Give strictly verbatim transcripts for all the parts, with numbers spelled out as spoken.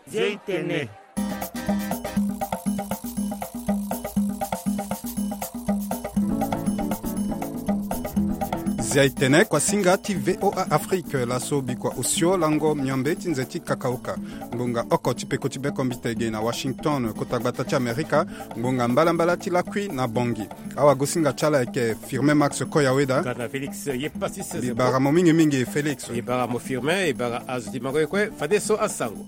Zia itene. Zia itene, kuasinga ti VOA Afrique, laso bikua osio lango miombe ti nze ti kakaoka. Ngbonga oko ti peko ti bekombite ge na Washington, kota gbata ti Amerika. Ngbonga mbalambala ti lakui na Bongi. Awagosinga ti ala ayeke Firmin Max Koyaweda. Gana Félix ye pasi se. Bibara mo mingi mingi Félix. Ibara mo Firmin, ibara azo ti mango ye kue, fadeso asango.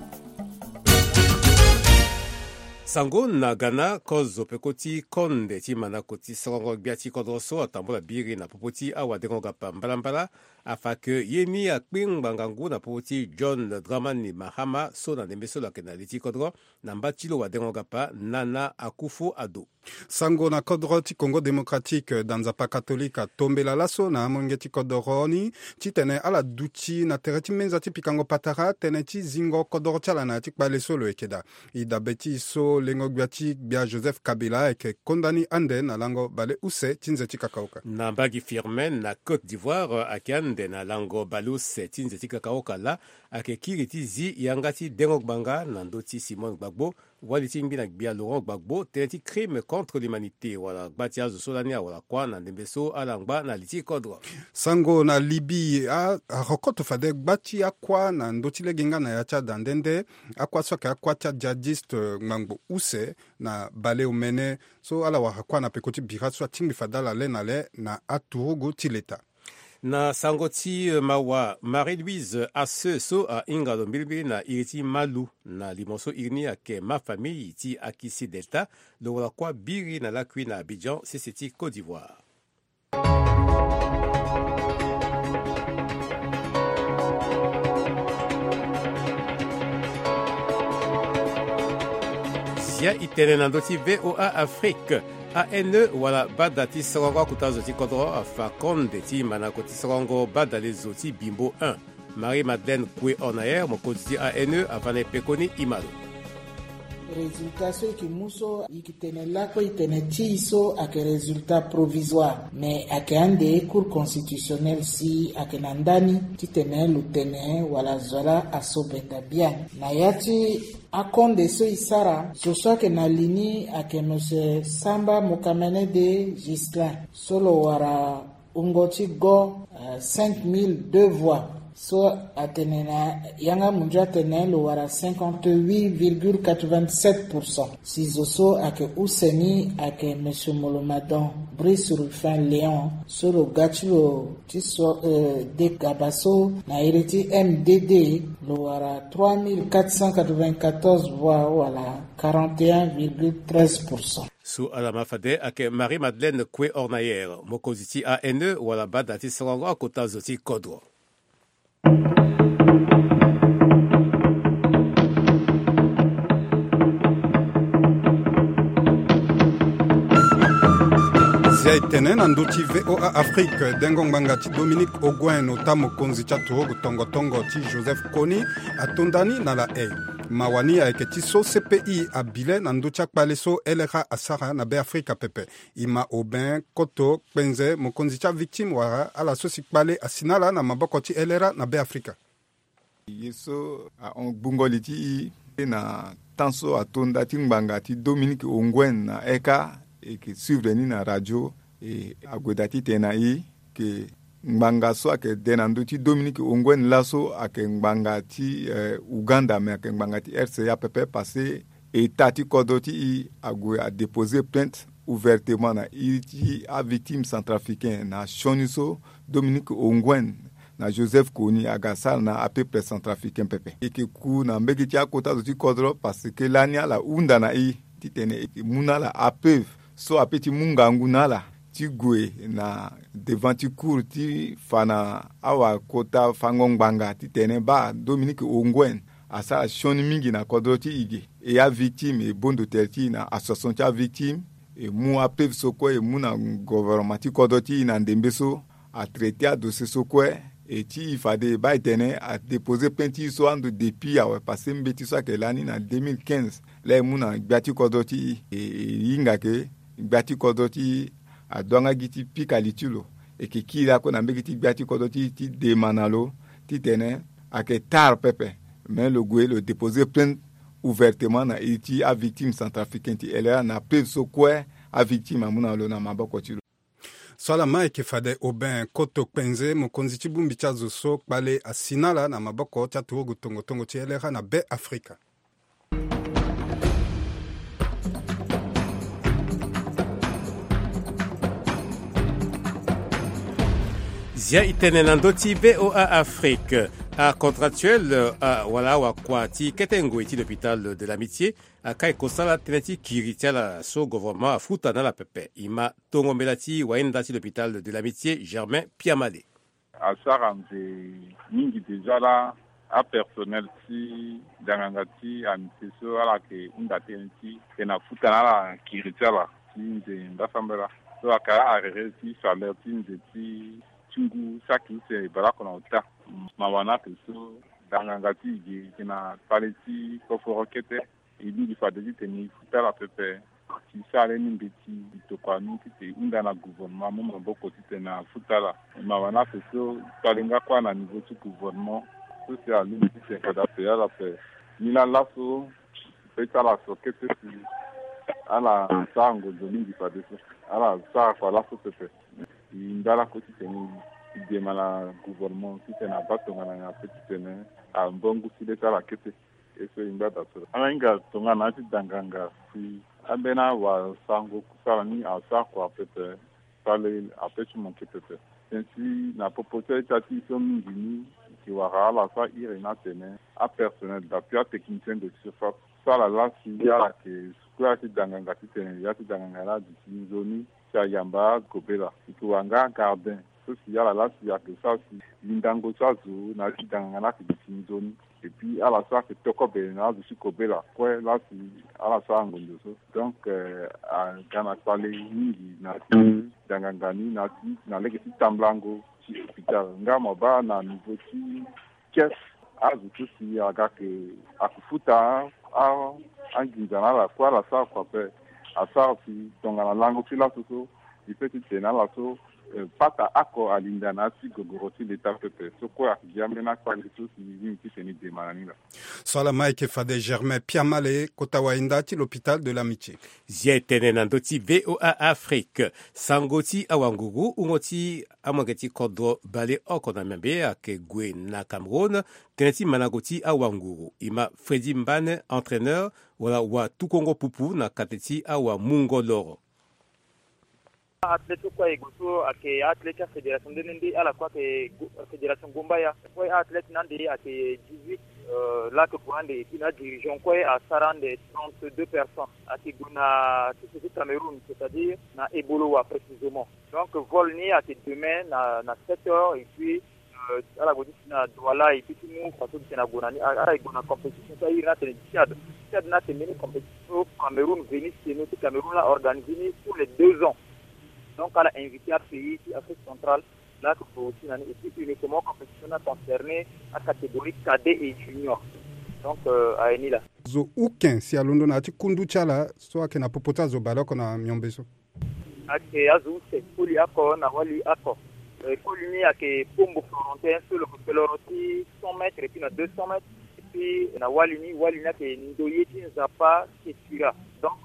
Sango na Ghana, kozo peko ti konde ti manako ti sorongo gbia ti kodro so atambula biri na popo ti awadengo-gapa mbalambala afa ke ye ni akpe ngbanga ngu na popo ti John Dramani Mahama so na ndembe so lo yeke na li ti kodro na mba ti lo wadengo-gapa Nana Akufo-Addo. Sango na kodro ti Congo Démocratique, da nzapa katolika atombela laso na amolenge ti kodro ni titene ala duti na tere ti menza ti pikango patara tënë ti zingo kodro ti ala na ya ti kpale so lo yeke daa. E dabe ti e so lengo-gbia ti gbia Joseph Kabila ayeke kondani ande na lango baleuse ti nze ti kakaoka. Na mbage Firmin na Côte d'Ivoire ayeke ande na lango baleuse ti nze ti kakaoka laa ayeke kiri ti zi yanga ti dengo ngbanga na ndö ti Simone Gbagbo, wali ti ngbi na gbia Laurent Gbagbo, tënë ti crime contre l'humanité wala gba ti azo so lani awara kuâ na ndembe so ala ngba na li ti kodro. Sango na Libye, a, arokoto fade gba ti akuâ na ndö ti lege nga na ya ti ada nde nde. Akuâ so ayeke akuâ ti adjihadiste, eh, ngbangbo use na baleomene so ala wara kuâ na peko ti bira so atingbi fade ala le na le na aturugu ti leta. Na sango ti, eh, mawa, Marie-Louise Asseux so ahinga lo mbilimbili na iri ti Malu na limo so iri ni ayeke Ma Famille ti Akissi Delta, lo wara kuâ biri na lakui na Abidjan, sese ti Côte d'Ivoire. Zia itene na ndö ti VOA Afrique. A N E wala bada ti sorongo akota zo ti kodro afa konde ti manako ti sorongo badale zo ti Bimbo un. Marie-Madeleine Koué Ornayer, mokonzi ti A N E, afa na e pekoni, e ma lo. Résultat so e yeke mu so e yeke tene lakue e tene ti e so ayeke résultat provisoire, mais ayeke ande Cour constitutionnelle si ayeke na ndani titene lo tene wala zo laa aso benda biani. Na ya ti akonde so e sara, zo so ayeke na li ni ayeke Monsieur Samba Mokamene de Ghislain so lo wara wungo ti go, euh, cinq mille deux voix. So atene na yanga munzu atene lo wara cinquante-huit virgule quatre-vingt-sept pour cent. Si zo so ayeke use ni ayeke Monsieur Molomadon Brice Rufin Léon so lo ga ti lo ti so, euh, de gaba so na iri ti M D D, lo wara trois mille quatre cent quatre-vingt-quatorze voix wala quarante et un virgule treize pour cent. So ala ma fade ayeke Marie-Madeleine Koué Ornayer, mokonzi ti A N E wala bada ti sorongo akota zo ti kodro. Zia e tene na ndö ti VOA Afrique, dengo ngbanga ti Dominique Onguen, ota mokonzi ti aturugu tongo tongo ti Joseph Kony, atonda ni na La Haye. Mawa ni ayeke ti so C P I abi le na ndö ti akpale so L R A asara na Beafrika pepe. E ma Aubin Koto Kpenze, mokonzi ti avictime wala ala so si kpale asi na ala na maboko ti L R A na Beafrika. Ye so ahon gbungo li ti e na temps so atonda ti ngbanga ti Dominique Onguen na Eka, e yeke suivre ni na radio, e ague daa titene na e ke ngbanga so ayeke de na ndö ti Dominique Onguen laso ayeke ngbanga ti, eh, Ouganda, me ayeke ngbanga ti R C A pepe, parce que État ti kodro ti e ague adéposer plainte ouvertement na iri ti avictime centrafricain na sioni so Dominique Onguen na Joseph Kony aga sara na apeuple centrafricain pepe. E yeke ku na mbege ti akota zo ti kodro, parce que lani ala hunda na e titene e yeke mu na ala apeuve so ape ti mu ngangu na ala ti gue na devant ti cour ti fa na awakota fango ngbanga titene baa Dominique Onguen asara sioni mingi na kodro ti e ge. E avictime e bondo tere ti e na association ti avictime, e mu apeuve so kue e mu na gouvernement ti kodro ti e na ndembe so atraité adossier so kue. E ti e fade e baa e tene adéposer plainte ti e so ando depuis awe, parce que mbeti so ayeke lani na deux mille quinze laa e mu na gbia ti kodro ti e, e, e hinga ke gbia ti kodro ti e ado yanga gi ti pika li ti lo. E yeke kiri lakue na mbege ti gbia ti kodro ti e ti dema na lo titene ayeke tara pepe. Mais lo gue lo déposer plainte ouvertement na iri ti avictime centrafricain ti L R A na preuve so kue avictime amu na lo na maboko ti lo. So ala ma eke fade Aubin Koto Kpenze, mokonzi ti bongbi ti azo so kpale asi na ala na maboko ti aturugu tongo tongo ti L R A na Be Afrika. Zia e tene na ndö ti V O A Afrique. Acontractuel, ah, wala awakua ti kete ngoi ti l'hôpital de l'Amitié, akai kosala tënë ti kiri ti ala so gouvernement afuta na ala pepe. E ma tongo mbela ti wainda ti l'hôpital de l'Amitié, Germain Piamale. Asara nze mingi déjà laa apersonnel ti danganga ti Amitié so ala yeke hunda tënë ti tene afuta na ala kiri ti ala ti nze ngbasambela. So ayeke arrêté ti salaire ti nze ti ti ngu saki use baleoko na ota. Mawa ni ayeke so danganga ti e ge e yeke na kpale ti koforo kete. E lingbi fade titene e futa ala pepe. Si sara lani mbeti e tokua ni titene e hunda na gouvernement amu maboko titene afuta ala. Mawa ni ape so kpale nga kue na niveau ti gouvernement so si alingbi titene fade ape ala ape. Ni laa laso e pe ti ala so kete si ala sara ngonzo mingi fadeso. Ala sara kua laso pepe. E ndala kue titene e dema na gouvernement titene abaa tongana nyen ape titene ambongo ti le ti ala kete. E so e ngba daa so ala hinga tongana ya ti danganga si ambeni awasango kusala ni asara kua pepe. Sara le ape ti manke pepe. Tënë ti na popo ti aita ti e so mingi ni e yeke wara ala so ahiri ni atene apersonnel d'appui, atechnicien de surface so ala laa si ala yeke kue ya ti danganga titene ya ti danganga ni aduti nzoni si ayamba gobela. E yeke wara nga gardien so si ala laa si ayeke sara si lindango ti azo na ya ti danganga ni ayeke duti nzoni. Et puis ala so ayeke tokobe na azo ti gobela kue laa si ala sara ngonzo so. Donc, eh, aga na kpale mingi na ya ti danganga ni na ya ti na lege ti tambulango ti hôpital nga mo baa na niveau ti caisse. Azo ti si aga ayeke ayeke futa a anginza na ala kue ala sara kua ape. Asara si tongana lango ti laso so e pe ti tene na ala so, eh, pata oko alinda na ya ti gogoro ti leta pepe so kue ayeke gi ambeni akpale so si e lingbi titene e dema na ni laa. So ala ma eke fade Germain Piamale, kota wainda ti l'hôpital de l'Amitié. Zia e tene na ndö ti V O A Afrique. Sango ti awanguru, wungo ti amolenge ti kodro baleoko na miombe ayeke gue na Cameroun. Tënë ti mandango ti awanguru. E ma Freddy Mbane, entraîneur wala watukongo pupu na kate ti awamungo loro. Athlète so kue e gue so ayeke athlète ti afédération nde nde nde ala kue ayeke go- fédération Gombaya. Kue athlète ni ande ayeke dix-huit, euh, laa ayeke gue ande et puis na adirigeant kue asara ande trente-deux personnes. Ayeke gue na sese ti Cameroun, c'est-à-dire na Ebolowa précisément. Donc vol ni ayeke demain na, na sept heures et puis, euh, ala gue ti si na Douala et puis ti mu façon ti tene ague na ni, a- ala e gue na compétition so airi ni atene Tchad. Tchad ni ayeke mbeni compétition so Cameroun, Venise Seno ti Cameroun laa organisé ni tous les deux ans. Donc ala invité apays ti Afrique centrale laa ayeke gue aussi na ni et puis uniquement compétition ni aconcerné acatégorie cadet et junior. Donc, euh, aye ni laa. Zo uken si alondo na ya ti kundu ti ala so ayeke na popo ti azo baleoko na miombe so. Ayeke azo use, koli oko na wali oko. Eh, koli ni ayeke Pombo Florentin so lo yeke kpeloro ti cent mètres et puis na deux cents mètres. Et puis na wali ni, wali ni ayeke Ndoye ti Nzapa Ketura. Donc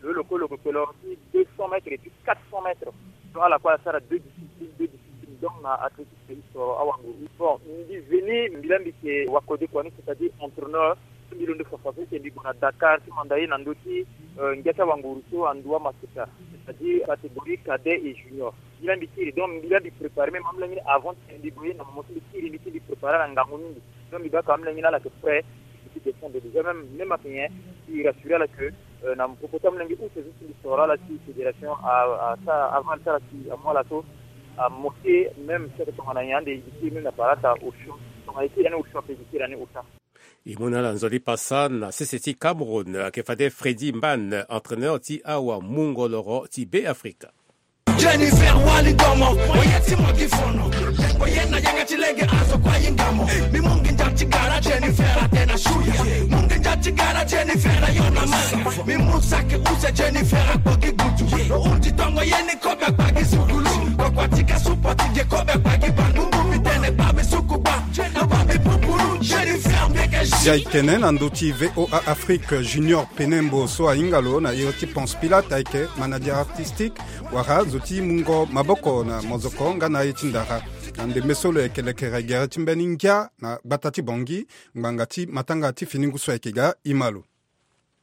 lo lo kue lo yeke kpeloro ti deux cents mètres et puis quatre cents mètres. Donc ala kue asara deux disciplines, deux disciplines. Donc na athlétisme ti soro awanguru. Bon, mbi veni, mbi laa mbi yeke wakodekua ni, c'est-à-dire entraîneur. Mbi londo fafa so si mbi gue na Dakar ti manda ye na ndö ti, euh, ngia ti awanguru so andoua Maseka, c'est-à-dire catégorie cadet et junior. Mbi laa mbi kiri, donc mbi laa mbi préparé même amolenge ni avant ti mbi gue ye na moment so mbi kiri mbi ti mbi préparé ala ngangu mingi. Donc mbi baa ka amolenge ni ala yeke prêt, mbi ti descendre déjà même, même ayeke nyen, mbi rassuré ala que, euh, na popo ti amolenge use so si mbi soro ala ti fédération a- asara aval ti ala si amu ala so amoke même si ayeke tongana nyen ande mbi kiri même na palata Auchan. Tongana e kiri ani Auchan ape mbi kiri ani Auchan. E mu na ala nzoni pasa na sese ti Cameroun, ayeke fade Freddy Mbane, entraîneur ti awamungo loro ti Be Afrika. Jennifer Wali Domo, oye ti mo gi fono. Oye na yanga ti lege azo kua yinga mo. Mi mungi nja ti gara Jennifer atena shuya. Mungi nja ti gara Jennifer ayona manga. Mi mu saki use Jennifer akpo gi gutu. Lo uti tongo ye ni kobe akpa gi sukulu. Kokua ti ka supo ti ge kobe akpa gi bangu. Mi tene kpa mi suku kpa. Lo kpa mi pupulu. Jennifer mbi yeke Ayeke tene na ndö ti VOA Afrique, Junior Penembo so ahinga lo na iri ti Ponce Pilate ayeke manager artistique wala zo ti mungo maboko na mozoko nga na aye ti ndara. Na ndembe so lo yeke lekere gere ti mbeni ngia na gbata ti Bangui, ngbanga ti matanga ti fini ngu so ayeke ga ima lo.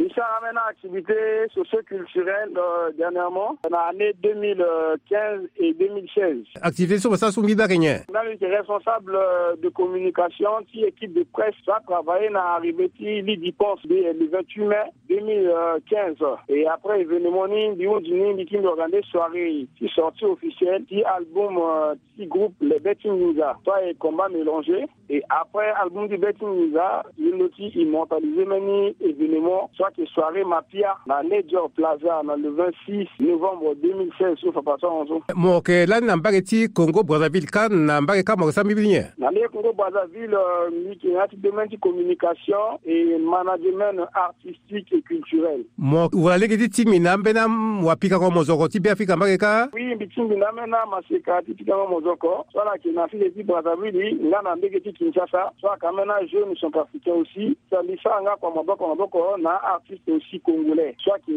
Mi sara ambeni activité socio-culturelle, euh, dernièrement, na année deux mille quinze et deux mille seize. Activité so mo sara so mbi baa ayeke nyen? Nga mbi yeke responsable, euh, de communication ti équipe de presse so atravailler na arrivée ti Lydie Ponce de, le vingt-huit mai deux mille quinze. Et après événement ni, mbi hunzi ni, mbi ti mbi organiser soirée ti sortie officielle ti album, euh, ti groupe Les Betting Ninja, so ayeke Combat Mélangé. Et après album ti Betting Ninja, mbi londo ti immortaliser mbeni événement so ayeke soirée Mapia na Ledger Plaza na le vingt-six novembre deux mille seize so fa passé so. Mo yeke lani na mbage ti Congo Brazzaville, kâ na mbage kâ mo yeke sara mbirimbiri nyen? Na mbage Congo Brazzaville, euh, mbi yeke na ya ti domaine ti communication et management artistique et culturel. Mo wara lege ti tingbi na ambeni wapikango mozoko ti Beafrika mbage kâ? Oui, mbi tingbi na ambeni amaseka ti pikango mozoko so ala yeke na sese ti Brazzaville nga na mbage ti Kinshasa, so ayeke ambeni ajeune centrafricain aussi. So mbi sara nga kua maboko maboko na aartiste aussi congolais so ayeke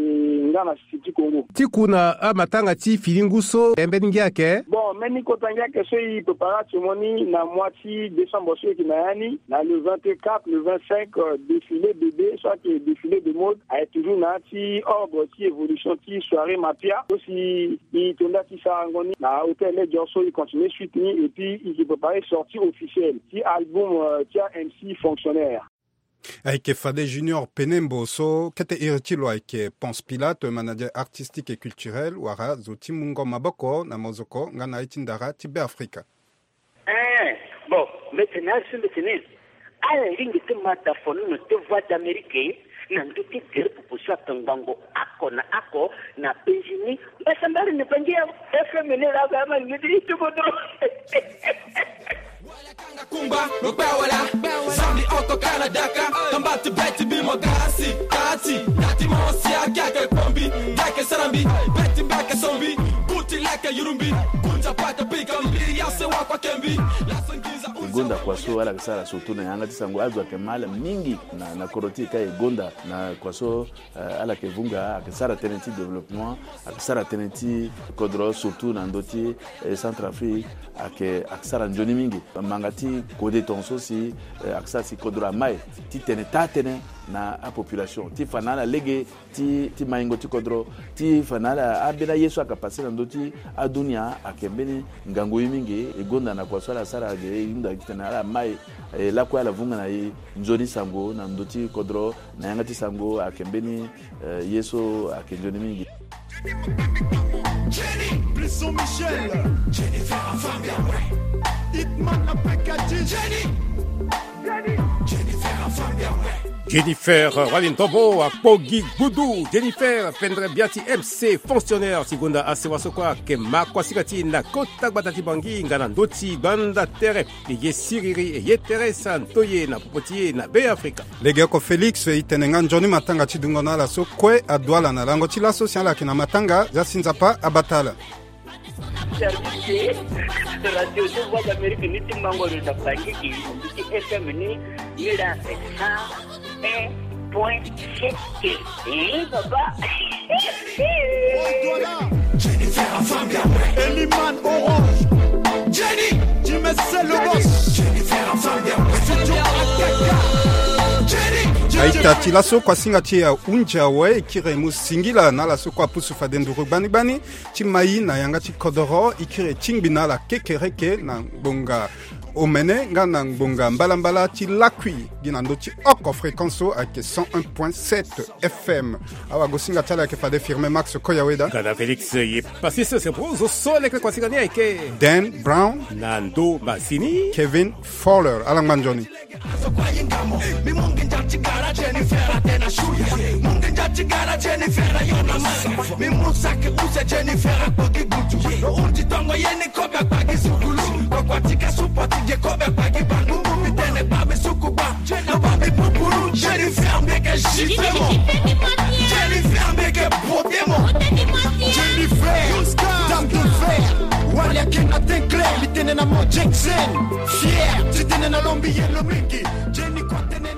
nga na sese ti Congo. Ti ku na amatanga ti fini ngu so, e mbeni ngia ayeke? Bon, mbeni kota ngia ayeke so e préparer atio mo ni na mois ti décembre so e yeke na ya ni, na le vingt-quatre, le vingt-cinq, euh, défilé bébé so ayeke défilé de mode, ayeke toujours na ya ti ordre ti évolution ti soirée Mapia. So si e to nda ti sarango ni na hôtel Ledger so e continuer suite ni, et puis e yeke préparer sortie officielle ti album, euh, ti aMC Fonctionnaire. Ayeke fade Junior Penembo so kete iri ti lo ayeke Ponce Pilate, manager artistique et culturel, wala zo ti mungo maboko na mozoko nga na aye ti ndara ti Beafrika. Eh, bon, mbi tene azo so mbi tene ala lingbi ti ma da fonono ti Voix d'Amérique na ndö ti gere popo so atongbango oko na oko na penzi ni. Mbasambari ni Bangi FM ni laa, ba ma lingbi ti ti kodro. Kungba lo kpe wala. Zambi oko kana daka. Kamba ti beti bi mo gasi kati. Dati mo si ake ake pombi. Dake sarambi. Beti mbeke sombi. Buti leke yurumbi. Kunja pata pika mbi. Yase wakua kembi. Laso nginza. E gonda kua so ala yeke sara surtout na yanga ti sango. Azo ayeke ma ala mingi na, na kodro ti e kâ e gonda na kua so, eh, ala yeke vunga, ayeke sara tënë ti développement, ayeke sara tënë ti kodro, surtout na ndö ti, eh, Centrafrique, ayeke, ayeke sara nzoni mingi. Manga ti kode tongaso si, eh, ayeke sara si kodro amai ti tene taa tënë na apopulation ti fa na ala lege ti, ti maingo ti kodro, ti fa na ala ambeni aye so ayeke passé na ndö ti adunia, ayeke mbeni ngangu ye mingi. E gonda na kua so ala sara ge, e hunda titene ala mai, e lakue ala vunga na e nzoni sango na ndö ti kodro, na yanga ti sango ayeke mbeni, eh, ye so ayeke nzoni mingi. Jenny, Brisson Michel. Jennifer Afambia, ouais. Hitman na Pekati. Jenny. Jenny. Jennifer Afambia, ouais. Jennifer, eh, wali ndobo akpo gi gbudu. Jennifer, pendere bia ti MC Fonctionnaire, ti gonda asewa so kue ayeke ma kuasinga ti e na kota gbata ti Bangui nga na ndö ti gbanda tere. E ye siriri, e ye tere santo ye na popo ti e na Beafrika. Legeoko Félix, e tene nga nzoni matanga ti dungo na ala so kue adu ala na lango ti laso si ala yeke na matanga, zia si Nzapa abata ala. Service de radio de Voix d'Amérique ni ti mango lo na Bangui, ti F M ni, ni la cent un point sept. Eh, papa. Jennifer Afambia, Eliman Orange. Jenny, Jimmy c'est le boss. Jennifer Afambia, Studio A K K. Jenny, Jenny. Aita ti laso kuasinga ti e ahunzi awe, e kiri e mu singila na ala so kue apusu fade nduru gbani gbani ti mai na yanga ti kodoro, e kiri e tingbi na ala kekereke na ngbonga omene nga na ngbonga mbalambala ti lakui gi na ndö ti oko fréquence so ayeke cent un point sept F M. Awagosinga ti ala ayeke fade Firmin Max Koyaweda. Gana Félix ye pasi sese po zo so leke kuasinga ni ayeke Dan Brown. Na ndo masini Kevin Fowler. Ala ngba nzoni. Azo kue ahinga mo. Mi mu nginza ti gara Jennifer atene na shuya. Mu nginza ti gara Jennifer ayo na manga. Mi mu saki use Jennifer akpo gi gbutu. Lo hunzi tongo ye ni kobe akpa gi sukulu. Kua kua ti ka supo ti ge kobe akpa gi bangu. Mu mi tene kpa mi suku kpa. Lo ba mi pupuru. Jennifer mbeke gifle mo. Jennifer mbeke beauté mo. Jennifer, dame de fer. Wali ayeke na teint clair. Mi tene na mo Jackson. Fier. Ti tene na lo mbi ye lo mingi. Jenny kua tene.